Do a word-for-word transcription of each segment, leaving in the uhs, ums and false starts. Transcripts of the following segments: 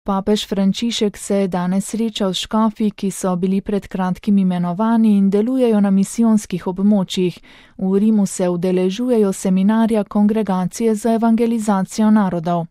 Papež Frančišek se je danes srečal s škofi, ki so bili pred kratkim imenovani in delujejo na misijonskih območjih. V Rimu se udeležujejo seminarja Kongregacije za evangelizacijo narodov.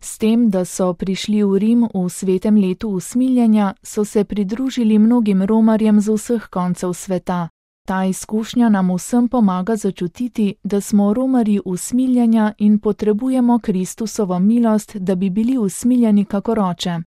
S tem, da so prišli v Rim v svetem letu usmiljenja, so se pridružili mnogim romarjem z vseh koncev sveta. Ta izkušnja nam vsem pomaga začutiti, da smo romarji usmiljenja in potrebujemo Kristusovo milost, da bi bili usmiljeni kakor oče.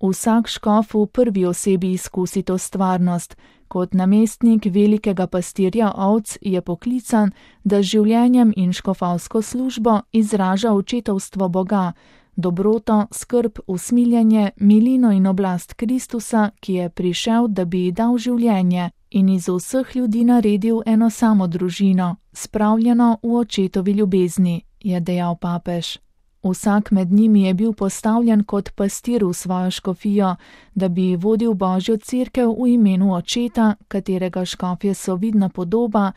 Vsak škof v prvi osebi izkusi to stvarnost. Kot namestnik velikega pastirja ovc je poklican, da z življenjem in škofovsko službo izraža očetovstvo Boga, dobroto, skrb, usmiljenje, milino in oblast Kristusa, ki je prišel, da bi ji dal življenje in iz vseh ljudi naredil eno samo družino, spravljeno v očetovi ljubezni, je dejal papež. Vsak med njimi je bil postavljen kot pastir v svojo škofijo, da bi vodil Božjo cerkev v imenu očeta, katerega škofje so vidna podoba,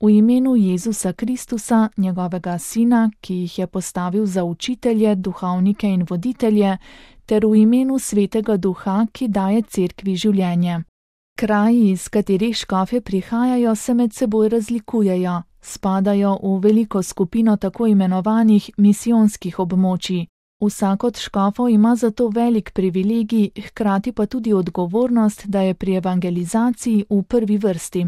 v imenu Jezusa Kristusa, njegovega sina, ki jih je postavil za učitelje, duhovnike in voditelje, ter v imenu Svetega Duha, ki daje cerkvi življenje. Kraji, iz katerih škofje prihajajo, se med seboj razlikujejo, spadajo v veliko skupino tako imenovanih misijonskih območij. Vsak od škofov ima zato velik privilegij, hkrati pa tudi odgovornost, da je pri evangelizaciji v prvi vrsti.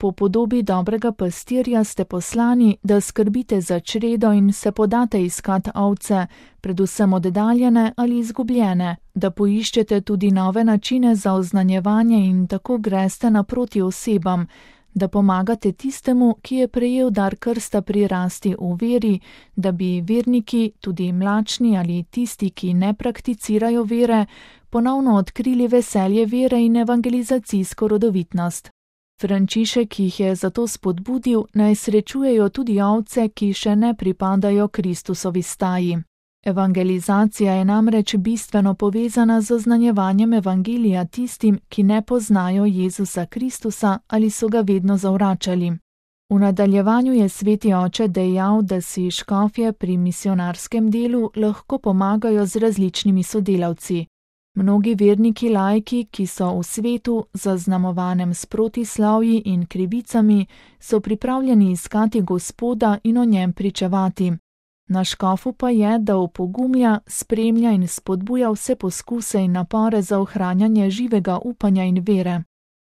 Po podobi dobrega pastirja ste poslani, da skrbite za čredo in se podate iskat ovce, predvsem oddaljene ali izgubljene, da poiščete tudi nove načine za oznanjevanje in tako greste naproti osebam, da pomagate tistemu, ki je prejel dar krsta prirasti v veri, da bi verniki, tudi mlačni ali tisti, ki ne prakticirajo vere, ponovno odkrili veselje vere in evangelizacijsko rodovitnost. Frančišek jih je zato spodbudil, naj srečujejo tudi ovce, ki še ne pripadajo Kristusovi staji. Evangelizacija je namreč bistveno povezana z oznanjevanjem evangelija tistim, ki ne poznajo Jezusa Kristusa ali so ga vedno zavračali. V nadaljevanju je sveti oče dejal, da si škofje pri misionarskem delu lahko pomagajo z različnimi sodelavci. Mnogi verniki laiki, ki so v svetu, zaznamovanem s protislavji in krivicami, so pripravljeni iskati Gospoda in o njem pričevati. Na škofu pa je, da opogumlja, spremlja in spodbuja vse poskuse in napore za ohranjanje živega upanja in vere.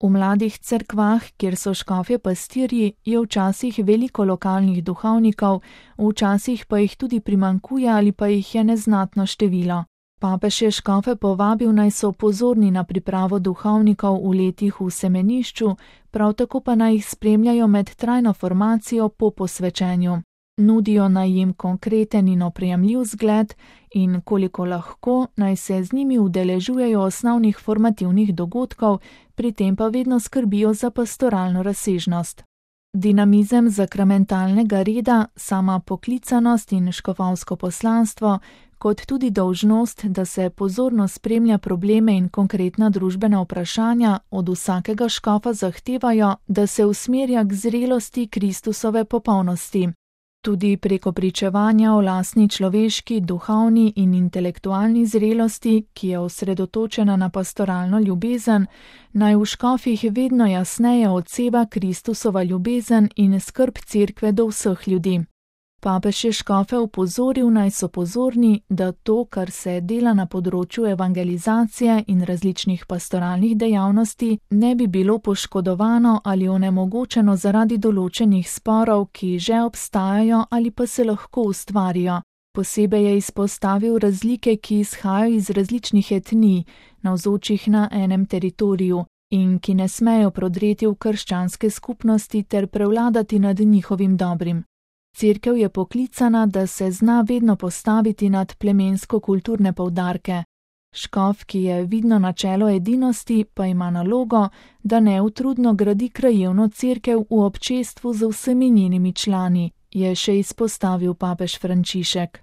V mladih cerkvah, kjer so škofje pastirji, je včasih veliko lokalnih duhovnikov, včasih pa jih tudi primanjkuje ali pa jih je neznatno število. Papež je škofe povabil, naj so pozorni na pripravo duhovnikov v letih v semenišču, prav tako pa naj jih spremljajo med trajno formacijo po posvečenju. Nudijo naj jim konkreten in oprijemljiv zgled in koliko lahko naj se z njimi udeležujejo osnovnih formativnih dogodkov, pri tem pa vedno skrbijo za pastoralno razsežnost. Dinamizem sakramentalnega reda, sama poklicanost in škofovsko poslanstvo, kot tudi dolžnost, da se pozorno spremlja probleme in konkretna družbena vprašanja, od vsakega škofa zahtevajo, da se usmerja k zrelosti Kristusove popolnosti. Tudi preko pričevanja o lastni človeški, duhovni in intelektualni zrelosti, ki je osredotočena na pastoralno ljubezen, naj v škofih vedno jasneje odseva Kristusova ljubezen in skrb cerkve do vseh ljudi. Papež je škofe opozoril, naj so pozorni, da to, kar se dela na področju evangelizacije in različnih pastoralnih dejavnosti, ne bi bilo poškodovano ali onemogočeno zaradi določenih sporov, ki že obstajajo ali pa se lahko ustvarijo. Posebej je izpostavil razlike, ki izhajajo iz različnih etnij, navzočih na enem teritoriju, in ki ne smejo prodreti v krščanske skupnosti ter prevladati nad njihovim dobrim. Cerkev je poklicana, da se zna vedno postaviti nad plemensko-kulturne poudarke. Škof, ki je vidno načelo edinosti, pa ima nalogo, da neutrudno gradi krajevno cerkev v občestvu z vsemi njenimi člani, je še izpostavil papež Frančišek.